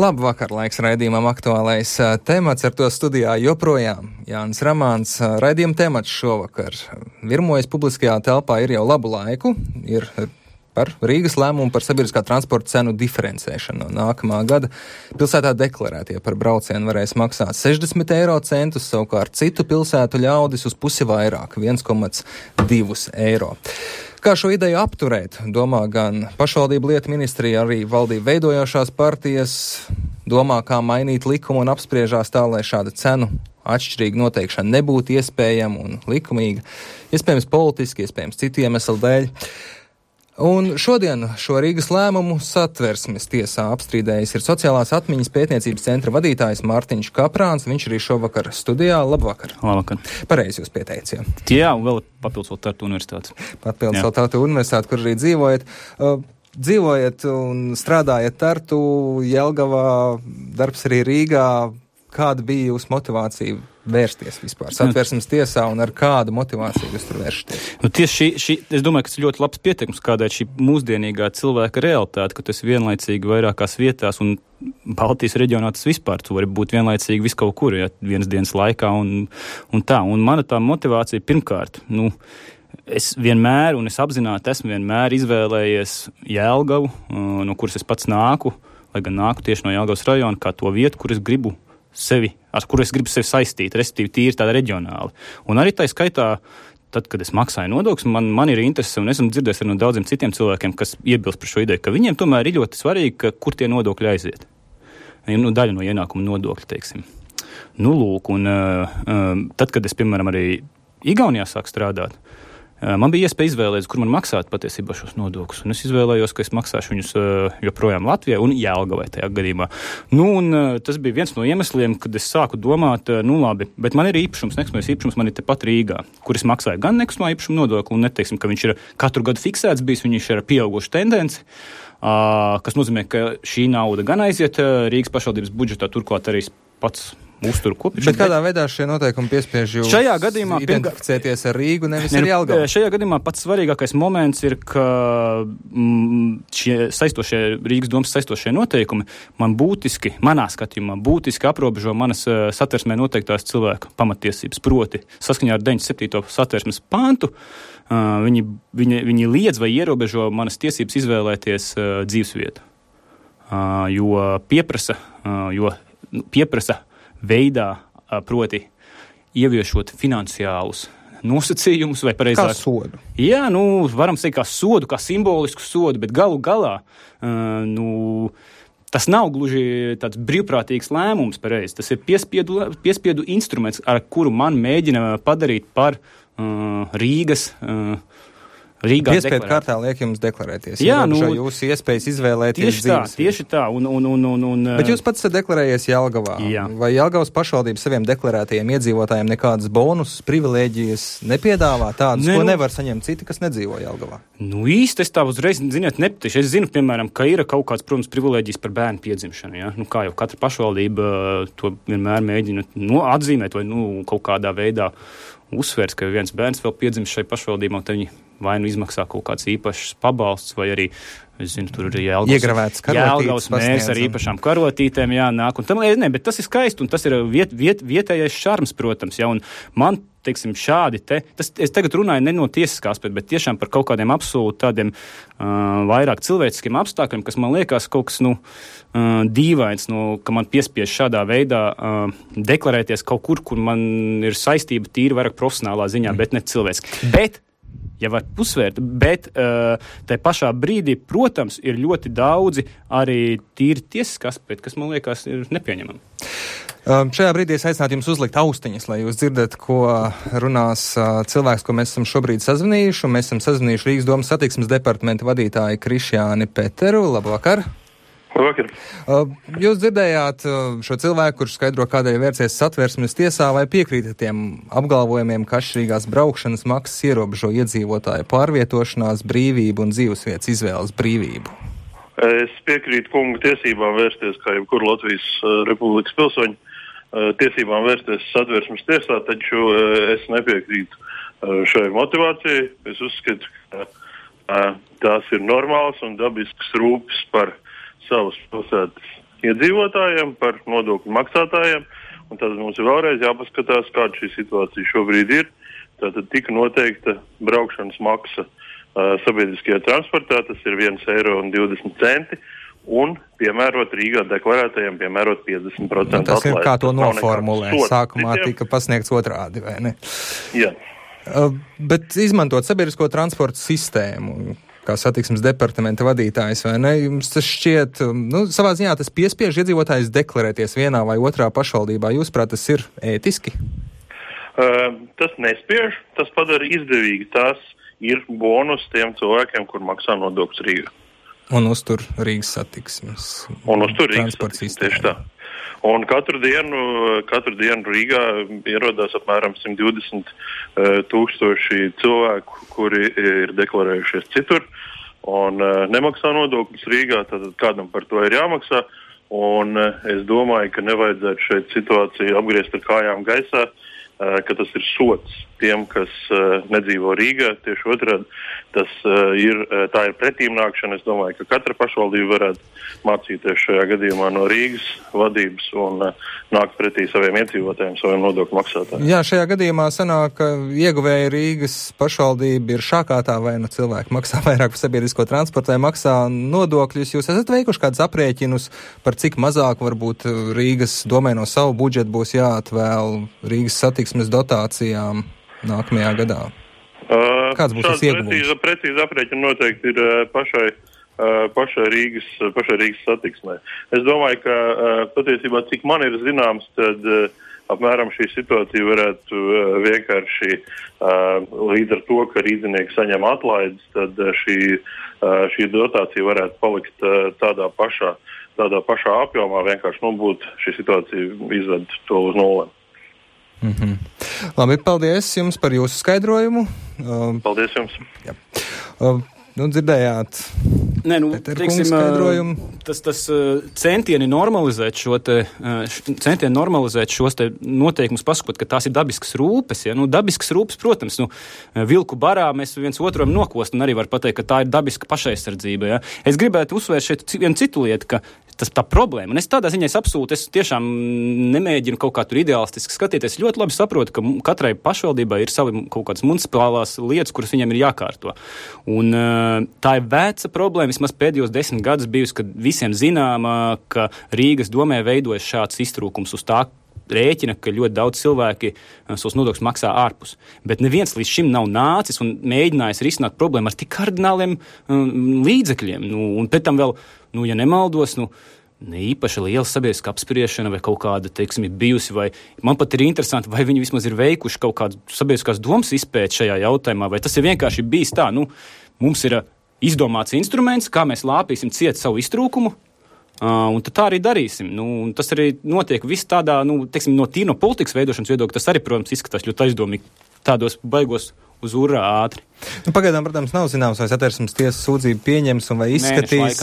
Labvakar, laiks raidījumam aktuālais temats, ar to studijā joprojām Jānis Ramāns. Raidījuma temats šovakar virmojas publiskajā telpā ir jau labu laiku, ir par Rīgas lēmumu par sabiedriskā transporta cenu diferencēšanu. No nākamā gada pilsētā deklarētie par braucienu varēs maksāt 60 eiro centus, savukārt citu pilsētu ļaudis uz pusi vairāk, 1,2 eiro. Kā šo ideju apturēt, domā gan pašvaldību lietu ministrija, arī valdību veidojošās partijas, domā, kā mainīt likumu un apspriežās tā, lai šāda cenu atšķirīga noteikšana nebūtu iespējama un likumīga, iespējams politiski, iespējams citu iemeslu dēļ. Un šodien šo Rīgas lēmumu Satversmes tiesā apstrīdējis ir sociālās atmiņas pētniecības centra vadītājs Mārtiņš Kaprāns. Viņš arī šovakar studijā. Labvakar. Labvakar. Pareizi jūs pieteicāt. Jā, un vēl papildus vēl Tartu universitātes. Papildus vēl Tartu universitāti, kur arī dzīvojat. Dzīvojat un strādājat Tartu, Jelgavā, darbs arī Rīgā. Kāda bija jūsu motivācija vērsties vispār Satversmes tiesā un ar kādu motivāciju jūs tur vēršaties? Tieši šī, es domāju, ka tas ir ļoti labs pieteikums, kādai šī mūsdienīgā cilvēka realitāte, ka tas vienlaicīgi vairākās vietās un Baltijas reģionā tas vispār, tu vari būt vienlaicīgi viskaut kur, ja, vienas dienas laikā un tā. Un mana tā motivācija pirmkārt, es vienmēr, un es apzināti esmu vienmēr izvēlējies Jelgavu, no kuras es pats nāku, lai gan nāku tieši no Jelgavas rajona, kā to vietu, kur es gribu ar kuru es gribu sevi saistīt, respektīvi tīri tāda reģionāli. Un arī tā skaitā, tad, kad es maksāju nodokļus, man ir interese, un esmu dzirdējis arī no daudziem citiem cilvēkiem, kas iebilst par šo ideju, ka viņiem tomēr ir ļoti svarīgi, kur tie nodokļi aiziet. Daļa no ienākuma nodokļa, teiksim. Lūk, un tad, kad es, piemēram, arī Igaunijā sāku strādāt, man bija iespēja izvēlēties, kur man maksāt patiesībā šos nodokļus. Un es izvēlējos, ka es maksāšu viņus joprojām Latvijai un Jelgavai tajā gadījumā. Un tas bija viens no iemesliem, kad es sāku domāt, labi, bet man ir īpašums, nekustamais īpašums, man ir tepat Rīgā, kur es maksāju gan nekustamā īpašuma nodokli, un neteiksim, ka viņš ir katru gadu fiksēts bijis, viņš ir pieauguši tendenci, kas nozīmē, ka šī nauda gan aiziet Rīgas pašvaldības budžetā, turklāt arī pats uzturu kopišanu. Bet kādā veidā šie noteikumi piespiež jūs identificēties ar Rīgu, nevis ar Jelgavu? Šajā gadījumā pats svarīgākais moments ir, ka Rīgas domas saistošie noteikumi manā skatījumā būtiski aprobežo manas satversmē noteiktās cilvēku pamatiesības, proti saskaņā ar 97. satversmes pantu. Viņi liedz vai ierobežo manas tiesības izvēlēties dzīvesvietu, jo pieprasa veidā, proti ieviešot finansiālus nosacījumus vai pareizāk. Kā sodu? Jā, varam teikt kā sodu, kā simbolisku sodu, bet galu galā, tas nav gluži tāds brīvprātīgs lēmums pareizi. Tas ir piespiedu instruments, ar kuru man mēģina padarīt par Rīgā piespiedu kārtā liek jums deklarēties. Jā, jūsu iespējas izvēlēties dzīves. Tieši tā. Bet jūs pats esat deklarējies Jelgavā. Jā. Vai Jelgavas pašvaldība saviem deklarētajiem iedzīvotājiem nekādas bonusus, privilēģijas nepiedāvā tādas, ko nevar saņemt citi, kas nedzīvo Jelgavā? Īsti es tā uzreiz, nepatiši. Es zinu, piemēram, ka ir kaut kāds, protams, privilēģijas par bērnu piedzimšanu. Ja? Kā jau katra pašvaldība to vienmēr mēģina atzīmēt vai kaut kādā veidā uzsvērs, ka viens bērns vēl piedzimst šai pašvaldībā, un tad viņi vai izmaksā kaut kāds īpašs pabalsts, vai arī, es zinu, tur ir Jelgavas mērs ar īpašām karotītēm jānāk. Un tam, bet tas ir skaisti, un tas ir vietējais šarms, protams, ja, un man, teiksim, šādi es tagad runāju ne no tiesiskā aspekta, bet tiešām par kaut kādiem absolūti tādiem vairāk cilvēciskiem apstākļiem, kas man liekas kaut kas, dīvains, ka man piespiež šādā veidā deklarēties kaut kur man ir saistība tīri vairāk profesionālā ziņā, bet ne cilvēciski. Bet ja var uzsvērt, bet tai pašā brīdī, protams, ir ļoti daudzi arī tīri tiesiski aspekti, kas, man liekas, ir nepieņemami. Šajā brīdī es aicinātu jums uzlikt austiņas, lai jūs dzirdat, ko runās cilvēks, ko mēs esam šobrīd sazvanījuši. Mēs esam sazvanījuši Rīgas domas satiksmes departamenta vadītāju Krišjāni Peteru. Labvakar! Labvakar! Jūs dzirdējāt šo cilvēku, kurš skaidro, kādēļ vērsies Satversmes tiesā, vai piekrītat tiem apgalvojumiem, ka atšķirīgās braukšanas maksas ierobežo iedzīvotāju pārvietošanās brīvību un dzīvesvietas izvēles brīvību? Es piekrītu kunga tiesībām vērsties, kā jebkur Latvijas Republikas pilsoņi, tiesībām vērsties Satversmes tiesā, taču es nepiekrītu šai motivācijai. Es uzskatu, ka tās ir normāls un dabisks rūpes par savas pilsētas iedzīvotājiem, par nodokļu maksātājiem, un tad mums ir vēlreiz jāpaskatās, kāda šī situācija šobrīd ir. Tātad tika noteikta braukšanas maksa sabiedriskajā transportā, tas ir 1,20 eiro, un piemērot Rīgā deklarētajiem, piemērot 50% tas ir kā to noformulē. Sākumā citiem. tika pasniegts otrādi, vai ne? Jā. Bet izmantot sabiedrisko transportu sistēmu, kā satiksmes departamenta vadītājs, vai ne? Jums tas šķiet, savā ziņā tas piespiež iedzīvotājus deklarēties vienā vai otrā pašvaldībā. Jūsuprāt, tas ir ētiski? Tas nespiež, tas padara izdevīgi. Tas ir bonus tiem cilvēkiem, kur maksā nodokļus Rīgā. Un uztur Rīgas satiksmes. Un uztur Rīgas satiksmes, tieši tā. Un katru dienu Rīgā ierodās apmēram 120 tūkstoši cilvēku, kuri ir deklarējušies citur un nemaksā nodokļus Rīgā, tad kādam par to ir jāmaksā. Un es domāju, ka nevajadzētu šeit situāciju apgriezt ar kājām gaisā, ka tas ir sots tiem, kas nedzīvo Rīgā. Tieši otrādi, tā ir pretīmnākšana. Es domāju, ka katra pašvaldība varētu mācīties šajā gadījumā no Rīgas vadības un nākt pretī saviem iedzīvotājiem, saviem nodokļu maksātājiem. Jā, šajā gadījumā sanāk, ka ieguvēja Rīgas pašvaldība ir šākātā, vai cilvēki maksā vairāk par sabiedrisko transportu, vai maksā nodokļus. Jūs esat veikuši kādus aprēķinus par cik mazāk varbūt Rīgas domē no savu budžetu būs jāatvēl Rīgas satiksmes dotācijām nākamajā gadā? Kāds būs tas ieguvums? Precīzi aprēķini noteikti ir pašai Rīgas satiksmē. Es domāju, ka patiesībā, cik man ir zināms, tad apmēram šī situācija varētu vienkārši līdz ar to, ka rīdzinieki saņem atlaides, tad šī dotācija varētu palikt tādā pašā apjomā, vienkārši būtu šī situācija izved to uz nulli. Mm-hmm. Labi, paldies jums par jūsu skaidrojumu. Paldies jums. Jā. Dzirdējāt Peterkunga skaidrojumu. Tas centieni normalizēt šos te noteikumus, pasakot, ka tās ir dabiskas rūpes. Ja? Dabiskas rūpes, protams, vilku barā mēs viens otram nokost, un arī var pateikt, ka tā ir dabiska pašaizsardzība. Ja? Es gribētu uzsvērt šeit vienu citu lietu, ka tā problēma. Un es tādā ziņā absolūti, es tiešām nemēģinu kaut kā tur ideālistiski skatīties. Ļoti labi saprotu, ka katrai pašvaldībai ir savi kaut kādas municipālās lietas, kuras viņam ir jākārto. Un tā ir veca problēma, vismaz pēdējos 10 gadus bijusi, kad visiem zināma, ka Rīgas domē veidojas šāds iztrūkums uz tā rēķina, ka ļoti daudz cilvēki savus nodokļus maksā ārpus. Bet neviens līdz šim nav nācis un mēģinājis risināt problēmu ar tik kardināliem līdzekļiem. Un pēc tam vēl, ja nemaldos, ne īpaši liela sabiedriska apspriešana vai kaut kāda, teiksim, ir bijusi, vai man pat ir interesanti, vai viņi vismaz ir veikuši kaut kādu sabiedriskās domas izpēti šajā jautājumā, vai tas ir vienkārši bijis tā, mums ir izdomāts instruments, kā mēs lāpīsim ciet savu iztrūkumu, un tad tā arī darīsim. Un tas arī notiek viss tādā, teiksim, no politikas veidošanas viedokļa, tas arī, protams, izskatās ļoti aizdomīgi tādos baigos uz urā ātri. Pagaidām, protams, nav zināms, vai Satversmes tiesas sūdzību pieņems un vai izskatīs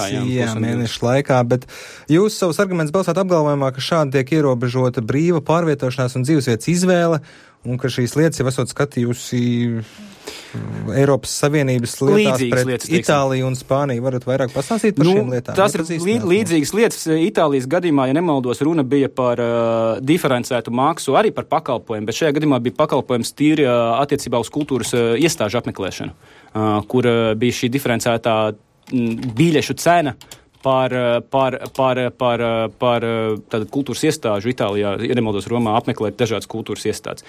mēnešu laikā, bet jūs savus argumentus balstāt apgalvojumā, ka šādi tiek ierobežota brīva pārvietošanās un dzīvesvietas izvēle, un ka šīs lietas jau esot skatījusi Eiropas Savienības lietās pret Itāliju un Spāniju. Varat vairāk pastāstīt par šīm lietām? Tas ir līdzīgas lietas. Itālijas gadījumā, ja nemaldos, runa bija par diferencētu maksu, arī par pakalpojumu, bet šajā gadījumā bija pakalpojums tīri attiecībā uz kultūras iestāžu apmeklēšanu, kur bija šī diferencētā biļešu cena par tādu kultūras iestāžu Itālijā, ja nemaldos, Romā apmeklēt dažādas kultūras iestādes.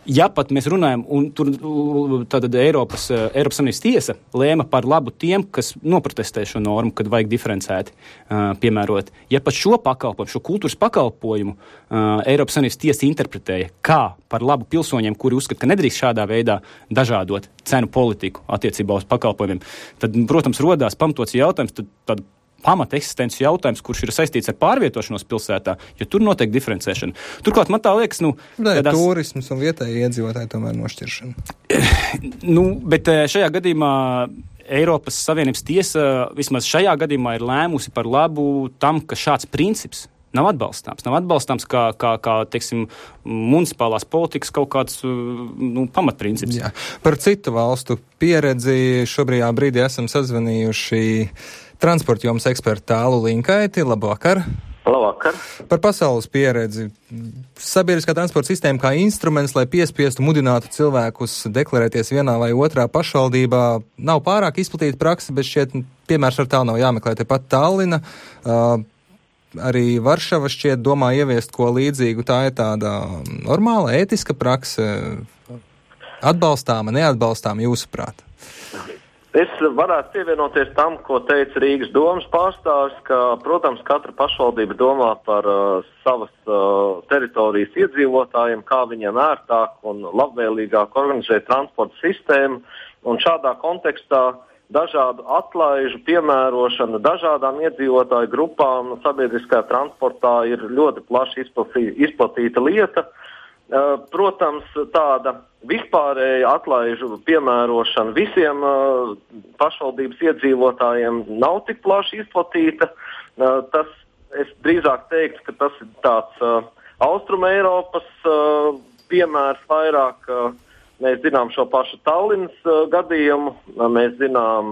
Ja pat mēs runājam, un tur tātad Eiropas Savienības tiesa lēma par labu tiem, kas noprotestē šo normu, kad vajag diferencēti piemērot. Ja pat šo kultūras pakalpojumu Eiropas Savienības tiesa interpretēja kā par labu pilsoņiem, kuri uzskata, ka nedrīkst šādā veidā dažādot cenu politiku attiecībā uz pakalpojumiem, tad, protams, rodās pamatots jautājums, tad pamata eksistences jautājums, kurš ir saistīts ar pārvietošanos pilsētā, jo tur notiek diferencēšana. Turklāt man tā liekas, turismas un vietēji iedzīvotāji tomēr nošķiršana. Bet šajā gadījumā Eiropas Savienības tiesa vismaz šajā gadījumā ir lēmusi par labu tam, ka šāds princips nav atbalstāms. Nav atbalstāms kā teiksim, municipālās politikas kaut kāds pamatprincips. Jā. Par citu valstu pieredzi šobrīd brīdī esam sazvanījuši transporta jomas ekspertu Tālu Linkaiti. Labvakar! Labvakar. Par pasaules pieredzi. Sabiedriskā transporta sistēma kā instruments, lai piespiestu, mudinātu cilvēkus deklarēties vienā vai otrā pašvaldībā, nav pārāk izplatīta praksa, bet šķiet piemērs ar tālu nav jāmeklē. Tepat Tallina, arī Varšava šķiet domā ieviest ko līdzīgu. Tā ir tāda normāla, ētiska prakse, atbalstāma, neatbalstāma jūsuprāt? Es varētu pievienoties tam, ko teica Rīgas domas pārstāvis, ka, protams, katra pašvaldība domā par savas teritorijas iedzīvotājiem, kā viņiem ērtāk un labvēlīgāk organizēt transporta sistēmu, un šādā kontekstā dažādu atlaižu piemērošana dažādām iedzīvotāju grupām sabiedriskajā transportā ir ļoti plaši izplatīta lieta. Protams, tāda vispārēja atlaižu piemērošana visiem pašvaldības iedzīvotājiem nav tik plaši izplatīta. Tas, es drīzāk teiktu, ka tas ir tāds Austrum Eiropas piemērs vairāk. Mēs zinām šo pašu Tallinas gadījumu, mēs zinām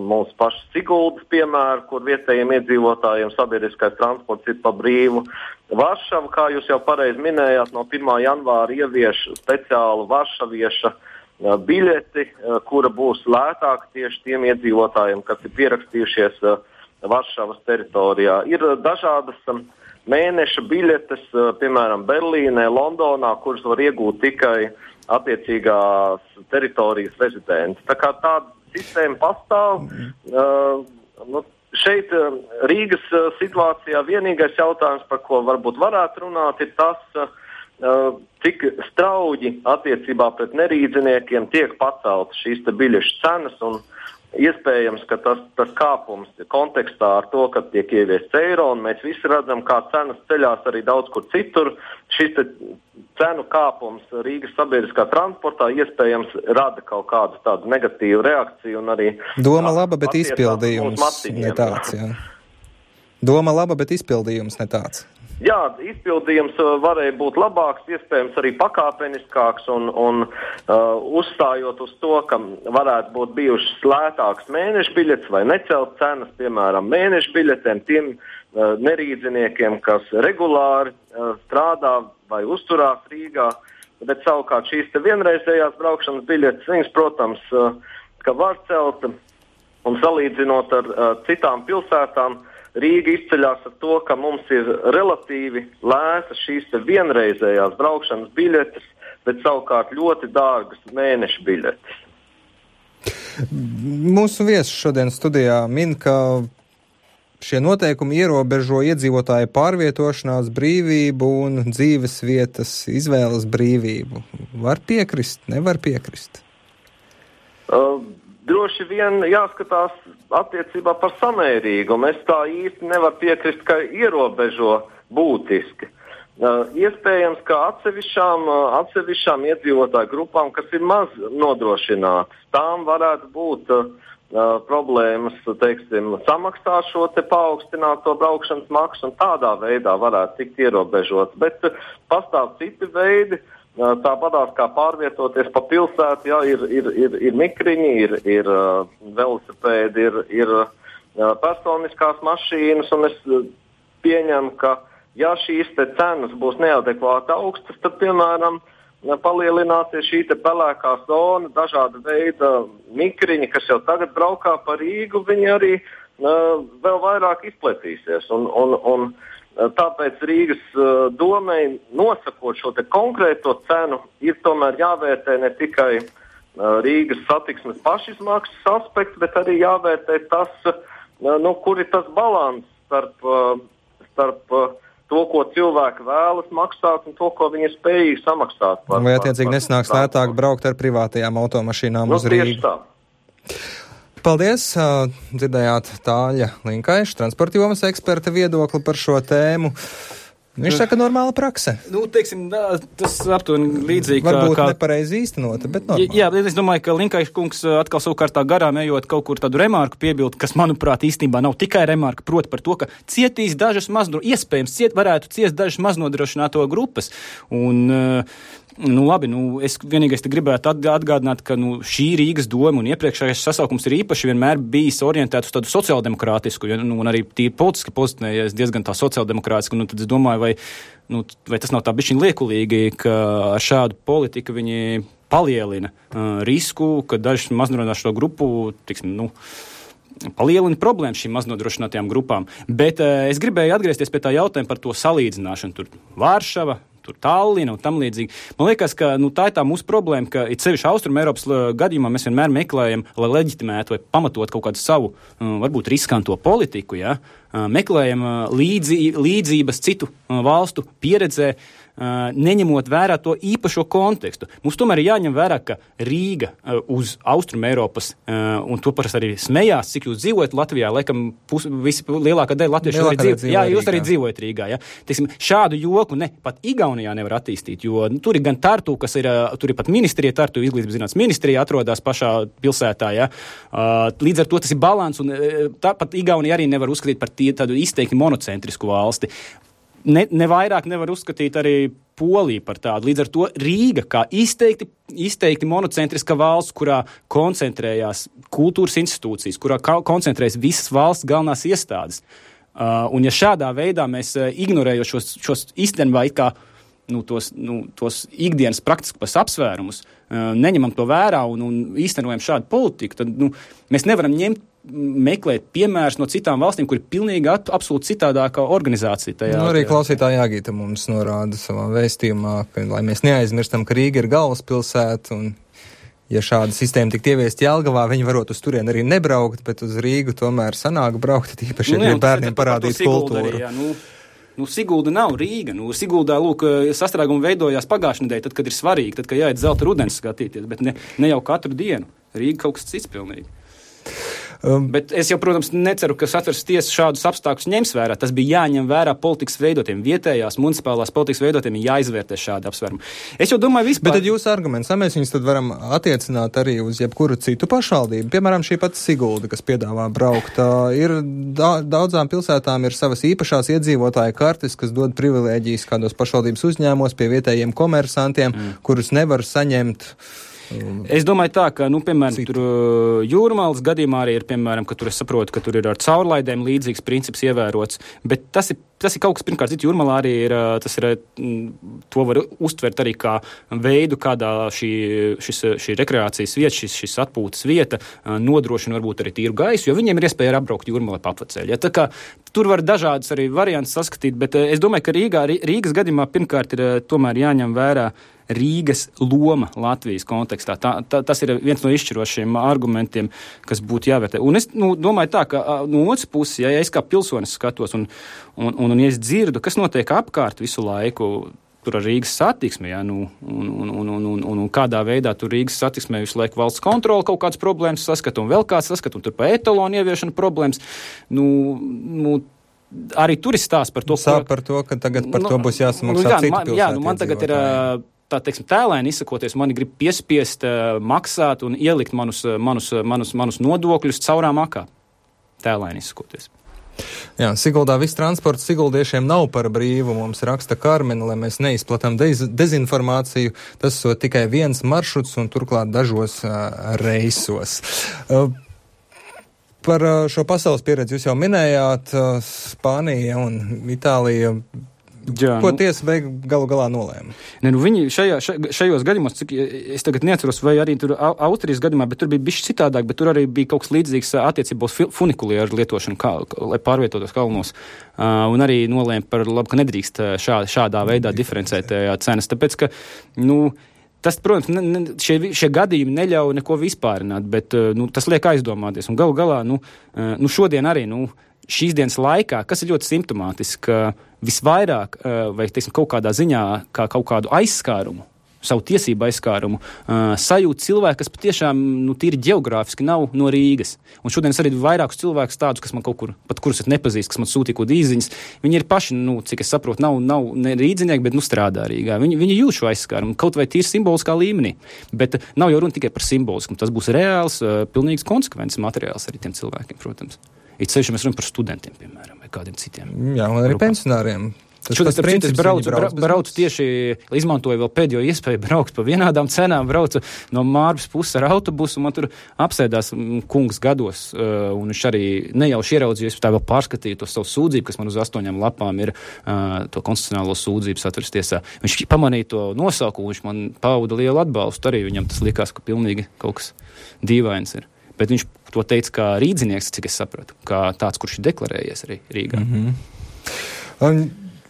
mūsu pašu Siguldas piemēru, kur vietējiem iedzīvotājiem sabiedriskais transports ir pa brīvu. Varšava, kā jūs jau pareizi minējāt, no 1. janvāra ievieš speciālu varšavieša biļeti, kura būs lētāka tieši tiem iedzīvotājiem, kas ir pierakstījušies Varšavas teritorijā. Ir dažādas mēneša biļetes, piemēram, Berlīnē, Londonā, kuras var iegūt tikai attiecīgās teritorijas rezidenti. Tā kā tāda sistēma pastāv, šeit Rīgas situācijā vienīgais jautājums, par ko varbūt varētu runāt, ir tas, cik strauji attiecībā pret nerīdziniekiem tiek paceltas šīs te biļešu cenas, un iespējams, ka tas kāpums kontekstā ar to, ka tiek ieviests eiro, un mēs visi redzam, kā cenas ceļās arī daudz kur citur. Šis cenu kāpums Rīgas sabiedriskā transportā iespējams rada kaut kādu tādu negatīvu reakciju un arī... Doma laba, bet izpildījums ne tāds, jā. Doma laba, bet izpildījums ne tāds. Jā, izpildījums varēja būt labāks, iespējams arī pakāpeniskāks un uzstājot uz to, ka varētu būt bijušas lētākas mēneša biļetes vai necelt cenas, piemēram, mēneša biļetēm tiem nerīdziniekiem, kas regulāri strādā vai uzturās Rīgā, bet savukārt šīs te vienreizējās braukšanas biļetes, viņas, protams, ka var celt, un salīdzinot ar citām pilsētām, Rīga izceļās ar to, ka mums ir relatīvi lētas šīs te vienreizējās braukšanas biļetes, bet savukārt ļoti dārgas mēneša biļetes. Mūsu viesis šodien studijā min, ka šie noteikumi ierobežo iedzīvotāju pārvietošanās brīvību un dzīves vietas izvēles brīvību. Var piekrist, nevar piekrist? Droši vien jāskatās attiecībā par samērīgumu. Es tā īsti nevaru piekrist, ka ierobežo būtiski. Iespējams, ka atsevišķām iedzīvotāju grupām, kas ir maz nodrošinātas, tām varētu būt problēmas, teiksim, samaksāt šo te paaugstināto braukšanas maksu un tādā veidā varētu tikt ierobežots. Bet pastāv citi veidi. Tāpatās kā pārvietoties pa pilsētu, jā, ir mikriņi, ir velosipēdi, ir personiskās mašīnas, un es pieņemu, ka ja šīs te cenas būs neadekvāti augstas, tad, piemēram, palielināsies šī te pelēkā zona, dažāda veida mikriņi, kas jau tagad braukā pa Rīgu, viņi arī vēl vairāk izplatīsies, un tāpēc Rīgas domei nosakot šo te konkrēto cenu ir tomēr jāvērtē ne tikai Rīgas satiksmes pašizmaksas aspekts, bet arī jāvērtē tas, kur ir tas balans starp to, ko cilvēki vēlas maksāt un to, ko viņi ir spējīgi samaksāt. Vai attiecīgi nesnāks lētāk braukt ar privātajām automašīnām uz Rīgu? Tieši tā. Paldies! Dzirdējāt Tāļa Linkaiša, transporta jomas eksperta viedokli par šo tēmu. Viņš saka, normāla prakse. Teiksim, tas aptuveni līdzīgi. Varbūt nepareizi īstenota, bet normāli. Jā, es domāju, ka Linkaiša kungs atkal savukārt tā garām ejot kaut kur tādu remarku piebildu, kas, manuprāt, īstenībā nav tikai remarka, proti par to, ka cietīs dažas iespējams varētu ciest dažas maznodrošināto grupas. Un Nu, labi, es vienīgais te gribētu atgādināt, ka šī Rīgas doma un iepriekšējais sasaukums ir īpaši vienmēr bijis orientēts uz tādu sociāldemokrātisku, un arī tīri politiski pozicionējies diezgan tā sociāldemokrātisku, tad es domāju, vai tas nav tā bišķiņ liekulīgi, ka ar šādu politiku viņi palielina risku, ka daži maznodrošināto grupu, palielina problēmas šīm maznodrošinātajām grupām. Bet es gribēju atgriezties pie tā jautājuma par to salīdzināšanu. Tur Vāršava, tur Tallina un tam līdzīgi. Man liekas, ka tā ir tā mūsu problēma, ka it sevišķi Austrum Eiropas gadījumā mēs vienmēr meklējam, lai leģitimētu vai pamatot kaut kādu savu, varbūt riskanto politiku, ja? Meklējam līdzības citu valstu pieredzē, neņemot vērā to īpašo kontekstu. Mums tomēr ir jāņem vērā, ka Rīga uz Austrum Eiropas, un to parasti arī smējās, cik jūs dzīvojat Latvijā, laikam lielākā daļa latviešu arī dzīvo. Jā, jūs arī dzīvojat Rīgā. Ja? Teiksim, šādu joku pat Igaunijā nevar attīstīt, jo tur ir gan Tartu, tur ir pat ministrija, Tartu izglītības zinātnes ministrija atrodas pašā pilsētā. Ja? Līdz ar to tas ir balans, un tāpat Igaunija arī nevar uzskatīt par tādu izteikti monocentrisku valsti. Ne vairāk nevar uzskatīt arī Poliju par tādu. Līdz ar to Rīga kā izteikti monocentriska valsts, kurā koncentrējās kultūras institūcijas, kurā koncentrējas visas valsts galvenās iestādes. Un ja šādā veidā mēs ignorējot šos īstenībā it kā tos ikdienas praktiskos apsvērumus, neņemam to vērā un īstenojam šādu politiku, tad mēs nevaram meklēt piemērus no citām valstīm, kur ir pilnīgi absolūti citādākā organizācija tajā. Arī klausītāja Jāgīta mums norāda savā vēstījumā, ka, lai mēs neaizmirstam, ka Rīga ir galvaspilsēta, un ja šāda sistēma tik ieviest Jelgavā, viņi varot uz turieni arī nebraukt, bet uz Rīgu tomēr sanāk braukt, tīpaši, ja bērniem parādīt kultūru. Arī, Sigulda nav Rīga. Siguldā, sastrēgumi veidojās pagājušajā nedēļā, tad, kad ir svarīgi, tad, kad jāiet zelta rudens skatīties, bet ne jau katru dienu. Rīga kaut kas cits pilnīgi. Bet es jau, protams, neceru, ka Satversmes tiesa šādus apstākļus ņems vērā. Tas bija jāņem vērā politikas veidotiem, vietējās, municipālās politikas veidotiem, jāizvērtē šādi apsvērumi. Es jau domāju vispār. Bet tad jūsu arguments, mēs viņus tad varam attiecināt arī uz jebkuru citu pašvaldību. Piemēram, šī pati Sigulda, kas piedāvā braukt. Ir daudzām pilsētām ir savas īpašās iedzīvotāju kartes, kas dod privilēģijas kādos pašvaldības uzņēmumos pie vietējiem komersantiem, kurus nevar saņemt. Es domāju tā, ka, piemēram, tur Jūrmalas gadījumā arī ir, piemēram, ka tur es saprotu, ka tur ir ar caurlaidēm līdzīgs princips ievērots, bet tas ir kaut kas, pirmkārt, cits Jūrmalā arī ir, to var uztvert arī kā veidu, kādā šī rekreācijas vieta, šis atpūtas vieta nodrošina varbūt arī tīru gaisu, jo viņiem ir iespēja apbraukt Jūrmalā pa apveceļu. Ja, tā kā tur var dažādas arī variantus saskatīt, bet es domāju, ka Rīgas gadījumā pirmkārt ir tomēr jāņem vērā Rīgas loma Latvijas kontekstā. Tas ir viens no izšķirošiem argumentiem, kas būtu jāvērtē. Un es domāju tā, ka no otras puses, ja es kā pilsonis skatos un ja es dzirdu, kas notiek apkārt visu laiku tur ar Rīgas satiksmi, ja, un kādā veidā tur Rīgas satiksmē visu laiku valsts kontrola kaut kādas problēmas saskata un vēl kāds saskata, un tur pa etalonu ieviešana problēmas, arī tur ir stāsts par to, par to, ka tagad par to būs jāsamaksā citu pilsētu. Jā, man tagad ir tēlēni izsakoties, mani grib piespiest maksāt un ielikt manus nodokļus caurā makā. Tēlēni izsakoties. Jā, Siguldā viss transports siguldiešiem nav par brīvu, mums raksta Karmena, lai mēs neizplatām dezinformāciju. Tas tikai viens maršruts un turklāt dažos reisos. Par šo pasaules pieredzi jūs jau minējāt, Spānija un Itālija. Jā, ko tiesa galu galā nolēma? Viņi šajos gadījumos, cik es tagad neatceros, vai arī tur Austrijas gadījumā, bet tur bija bišķi citādāk, bet tur arī bija kaut kas līdzīgs attiecībā uz funikulieru lietošanu, lai pārvietotos kalnos. Un arī nolēma par labu, ka nedrīkst šādā veidā diferencēt cenas, tāpēc, ka, tas, protams, šie gadījumi neļauj neko vispārināt, bet tas liek aizdomāties. Un galu galā, šodien arī, šīs dienas laikā, kas ir ļoti simptomātiski, ka visvairāk, vai, teiksim, kaut kādā ziņā, kā kaut kādu aizskārumu, savu tiesību aizskārumu, sajūt cilvēki, kas patiešām, tīri ģeogrāfiski nav no Rīgas. Un šodien es arī vairākus cilvēkus tādus, kas man kaut kur, pat kurus es nepazīstu, kas man sūtīja kaut īziņas, viņi ir paši, cik es saprotu, nav ne rīdziņnieki, bet strādā Rīgā. Viņi jūt šo aizskārumu, kaut vai tīri simboliskā līmenī. Bet nav jau runa tikai par simbolisku, tas būs reāls, pilnīgs konsekvences materiāls arī tiem cilvēkiem, protams. It sevišķi mēs runājam par studentiem, piemēram, vai kādiem citiem. Jā, un arī pensionāriem. Es braucu tieši, izmantoju vēl pēdējo iespēju braukt pa vienādām cenām, braucu no Mārbas puses ar autobusu, un man tur apsēdās kungs gados, un viņš arī nejauši ieraudzījies, tā vēl pārskatīja to savu sūdzību, kas man uz 8 lapām ir to konstitucionālo sūdzību Satversmes tiesā. Viņš pamanīja to nosaukumu, viņš man pauda lielu atbalstu, arī viņam tas likās, ka pilnīgi kaut kas dīvains ir. Bet viņš to teica kā rīdzinieks, cik es sapratu, kā tāds, kurš ir deklarējies arī Rīgā.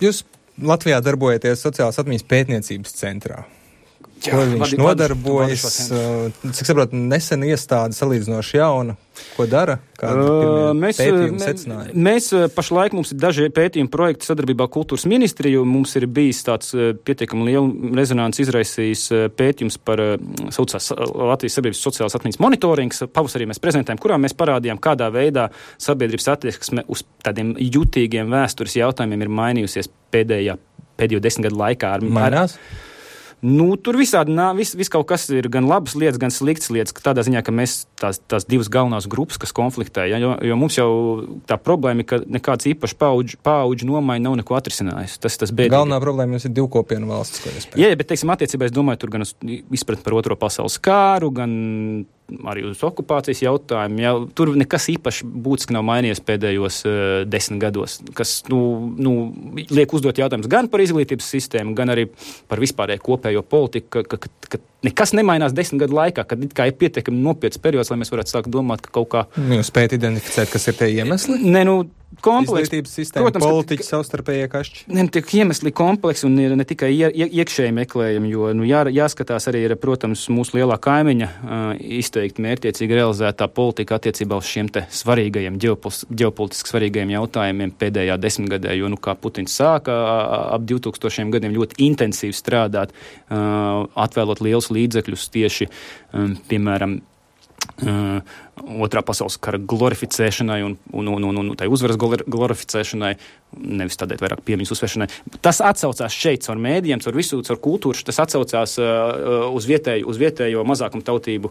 Jūs Latvijā darbojaties sociālās atmiņas pētniecības centrā. Ko viņš nodarbojas? Cik saprotu, nesen iestāde salīdzinoši jauna. Ko dara? Mēs pašlaik mums ir daži pētījumi projekti sadarbībā Kultūras ministriju. Mums ir bijis tāds pietiekami lielu rezonanci izraisījis pētījums par saucās Latvijas sabiedrības sociālās atmiņas monitorings. Pavasarī mēs prezentējam, kurā mēs parādījām, kādā veidā sabiedrības attieksme uz tādiem jutīgiem vēstures jautājumiem ir mainījusies pēdējo 10 gadu laikā. Mainās? Tur visādi vis kaut kas ir gan labas lietas, gan sliktas lietas, tādā ziņā, ka mēs tās divas galvenās grupas, kas konfliktē, jo mums jau tā problēma ir, ka nekāds īpaši paauģu nomaiņa nav neko atrisinājusi. Tas bēdīgi. Galvenā problēma jums ir divkopienu valsts, ko jūs pēc. Jā, bet, teiksim, attiecībā es domāju, tur gan izpratni par Otro pasaules kāru, gan arī uz okupācijas jautājumu. Jā, tur nekas īpaši būtiski nav mainījies pēdējos 10 gados, kas, liek uzdot jautājumus gan par izglītības sistēmu, gan arī par vispārēju kopējo politiku, ka nekas nemainās 10 gadu laikā, kad it kā ir pietiekami nopietns periods, lai mēs varētu sākt domāt, ka kaut kā... Jūs spējat identificēt, kas ir tie iemesli? Izglītības sistēma, protams, politiķi, savstarpējie kašķi? Tiek iemesli kompleksi un ir ne tikai iekšēji meklējumi, jo jāskatās arī ir, protams, mūsu lielā kaimiņa izteikti mērķiecīgi realizētā politika attiecībā uz šiem te svarīgajiem, ģeopolitiski svarīgajiem jautājumiem pēdējā 10 gadē, jo, kā Putins sāka ap 2000 gadiem ļoti intensīvi strādāt, atvēlot liels līdzekļus tieši, piemēram, Otrā pasaules kara glorificēšanai un tai uzvaras glorificēšanai, nevis tādēļ vairāk piemiņas uzsvēršanai. Tas atsaucās šeit caur mēdījiem, caur kultūru, tas atsaucās uz vietējo mazākumu tautību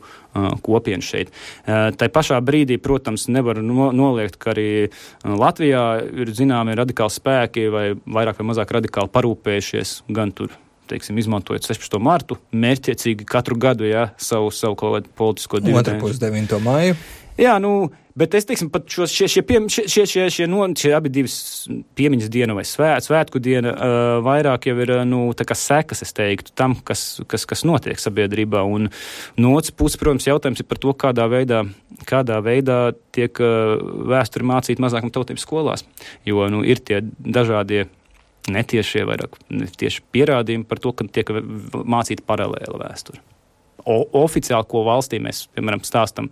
kopienu šeit. Tai pašā brīdī, protams, nevar noliegt, ka arī Latvijā ir zināmi radikāli spēki vai vairāk vai mazāk radikāli parūpējušies gan tur, teiksim, izmantojot 16. martu, mērķiecīgi katru gadu, savu kaut kādu politisko dividendu. 9. māju. Jā, bet es, teiksim, pat šie abi divas piemiņas diena vai svētku diena vairāk jau ir, tā kā sekas, es teiktu, tam, kas notiek sabiedrībā. Un no otras puses, protams, jautājums ir par to, kādā veidā tiek vēsturi mācīt mazākuma tautības skolās. Jo, ir tie dažādie netiešie vairāk tieši pierādījumi par to, ka tiek mācīta paralēla vēsture. Oficiāli, ko valstī mēs, piemēram, stāstam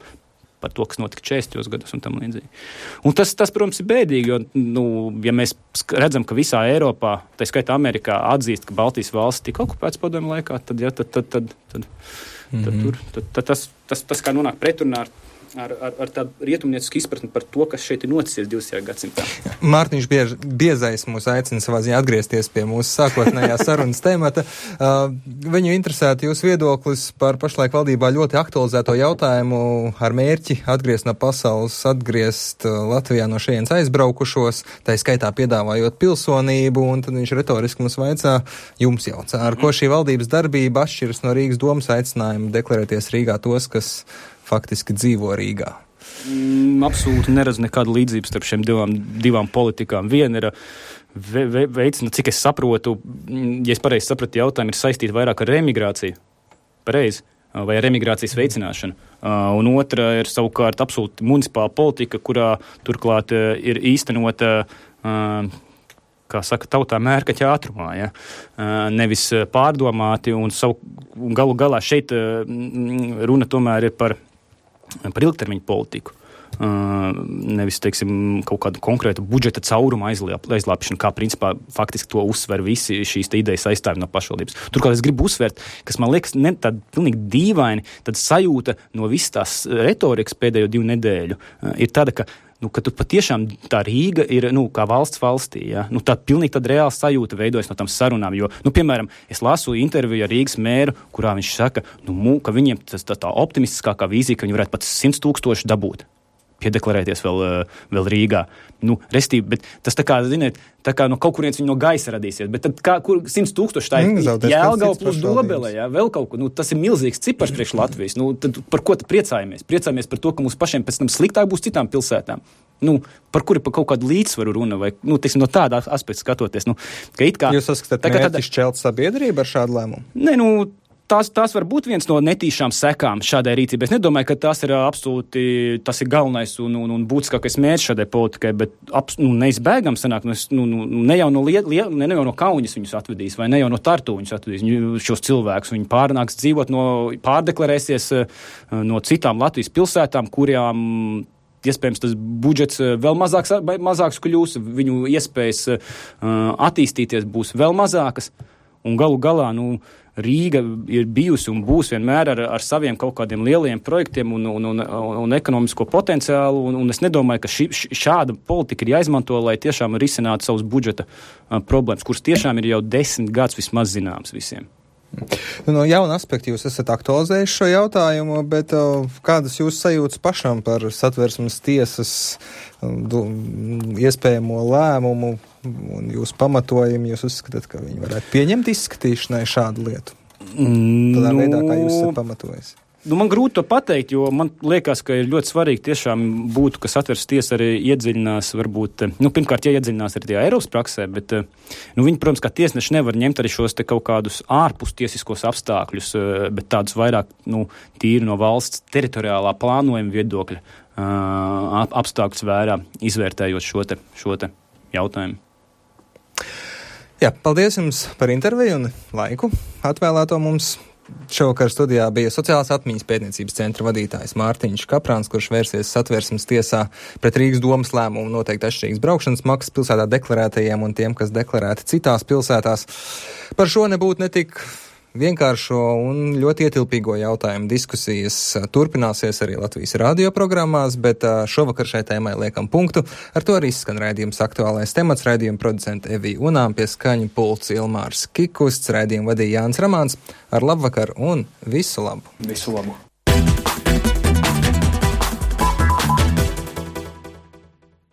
par to, kas notika 40. gados un tam līdzīgi. Un tas, protams, ir bēdīgi, jo, ja mēs redzam, ka visā Eiropā, tā skaitā Amerikā, atzīst, ka Baltijas valsts tika okupēts padomju laikā, tad tas kā nonāk pretrunā ar tādu rietumniecisku izpratni par to, kas šeit ir noticis 20. gadsimtā. Mārtiņš Biezais mūs aicina savā ziņā atgriezties pie mūsu sākotnējā sarunas temata. Viņu interesētu jūs viedoklis par pašlaik valdībā ļoti aktualizēto jautājumu ar mērķi atgriezt no pasaules, atgriezt Latvijā no šejienes aizbraukušos, tā skaitā piedāvājot pilsonību, un tad viņš retoriski mums jums jautā, ar ko šī valdības darbība atšķiras no Rīgas domas aicinājumu deklarēties Rīgā tos, kas faktiski dzīvo Rīgā. Absolūti neredzu nekādu līdzību starp šiem divām politikām. Viena ir veicina, cik es saprotu, ja es pareizi sapratu jautājumu, ir saistīta vairāk ar emigrāciju. Pareizi. Vai ar emigrācijas veicināšanu. Un otra ir savukārt absolūti municipāla politika, kurā turklāt ir īstenota kā saka, tautā mērkaķa ātrumā, nevis pārdomāti, un galu galā šeit runa tomēr ir par ilgtermiņu politiku. Nevis, teiksim, kaut kādu konkrētu budžeta caurumu aizlāpšanu, kā principā faktiski to uzsver visi šīs idejas aizstāvi no pašvaldības. Turklāt es gribu uzsvērt, kas man liekas tāda pilnīgi dīvaini, tad sajūta no visas tās retorikas pēdējo 2 nedēļu ir tāda, ka tur patiešām tā Rīga ir, kā valsts valstī, tā pilnīgi tāda reāla sajūta veidojas no tām sarunām, jo, piemēram, es lasu interviju ar Rīgas mēru, kurā viņš saka, ka viņiem tā optimistiskākā vīzija, ka viņi varētu pat 100 000 dabūt. piedeklarēties vēl Rīgā. Restīvi, bet tas tā kā, ziniet, no kaut kurienes viņi no gaisa radīsies. Bet tad kur 100,000 tā ir Jelgava plus Dobele, vēl kaut ko. Tas ir milzīgs cipars priekš Latvijas. Tad par ko tad priecājamies? Priecājamies par to, ka mums pašiem pēc tam sliktāk būs citām pilsētām. Par kaut kādu līdzsvaru runa vai, teiksim, no tāda aspekta skatoties. Ka it kā, jūs saskatāt mērķi šķelt sabiedrību ar šādu lēmumu? Nē, tās var būt viens no netīšām sekām šādai rīcībai. Es nedomāju, ka tas ir absolūti, tas ir galvenais un būtiskākais mērķis šādai politikai, bet neizbēgam sanāk, ne jau no Kauņas viņus atvedīs, vai ne jau no Tartu viņus atvedīs, šos cilvēkus. Viņi pārnāks dzīvot pārdeklarēsies no citām Latvijas pilsētām, kurām iespējams tas budžets vēl mazāks kļūs, viņu iespējas attīstīties būs vēl mazākas, un galu galā, Rīga ir bijusi un būs vienmēr ar saviem kaut kādiem lieliem projektiem un ekonomisko potenciālu, un es nedomāju, ka šāda politika ir jāizmanto, lai tiešām risinātu savus budžeta problēmas, kuras tiešām ir jau 10 gadus vismaz zināms visiem. No jauna aspekta jūs esat aktualizējuši šo jautājumu, bet kādas jūs sajūtas pašam par Satversmes tiesas iespējamo lēmumu un jūsu pamatojumu, jūs uzskatāt, ka viņi varētu pieņemt izskatīšanai šādu lietu? Tādā veidā, kā jūs esat pamatojis? Man grūti to pateikt, jo man liekas, ka ir ļoti svarīgi tiešām būtu, ka Satversmes tiesa arī iedziļinās, varbūt, pirmkārt, iedziļinās arī tajā Eiropas praksē, bet viņi, protams, kā tiesneši nevar ņemt arī šos te kaut kādus ārpustiesiskos apstākļus, bet tādus vairāk, tīri no valsts teritoriālā plānojuma viedokļa apstākļus vērā, izvērtējot šo te jautājumu. Jā, paldies jums par interviju un laiku atvēlēto mums. Šovakar studijā bija Sociālās atmiņas pētniecības centra vadītājs Mārtiņš Kaprāns, kurš vērsies Satversmes tiesā pret Rīgas domas lēmumu noteikti atšķirīgas braukšanas maksas pilsētā deklarētajiem un tiem, kas deklarēti citās pilsētās. Par šo nebūtu netik vienkāršo un ļoti ietilpīgo jautājumu diskusijas turpināsies arī Latvijas radio programmās, bet šovakar šai tēmai liekam punktu. Ar to arī izskan raidījums Aktuālais temats, raidījuma producenta Evija Unām, pie skaņu pults Ilmārs Kikusts, raidījumu vadīja Jānis Ramāns. Ar labvakar un visu labu! Visu labu!